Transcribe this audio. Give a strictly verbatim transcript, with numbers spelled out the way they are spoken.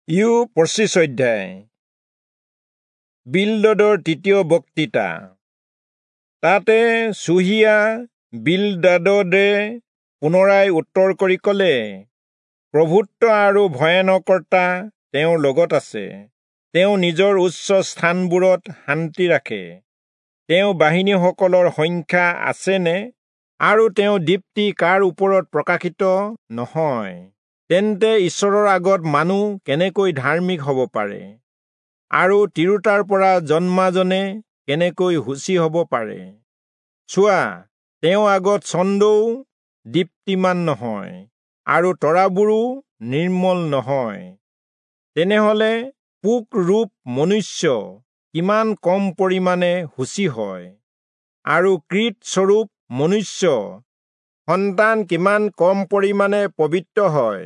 ইয়োব পঁচিছ অধ্যায়। বিলদদৰ তৃতীয় বক্তৃতা। তাতে চুহীয়া বিলদাদে পুনৰাই উত্তৰ কৰি কলে, প্ৰভুত্ব আৰু ভয়ানকতা তেওঁৰ লগত আছে, তেওঁ নিজৰ উচ্চ স্থানবোৰত শান্তি ৰাখে। তেওঁ বাহিনীসকলৰ সংখ্যা আছেনে, আৰু তেওঁ দীপ্তি কাৰ ওপৰত প্ৰকাশিত নহয়? তেন্তে ঈশ্বৰৰ আগত মানুহ কেনেকৈ ধাৰ্মিক হব পাৰে, আৰু তিৰোতাৰ পৰা জন্মাজনে কেনেকৈ শুচি হব পাৰে? চোৱা, তেওঁ আগত চন্দ্ৰও দীপ্তিমান নহয়, আৰু তৰাবোৰো নিৰ্মল নহয়। তেনেহলে পোকৰূপ মনুষ্য কিমান কম পৰিমাণে শুচি হয়, আৰু কীটস্বৰূপ মনুষ্য সন্তান কিমান কম পৰিমাণে পবিত্ৰ হয়!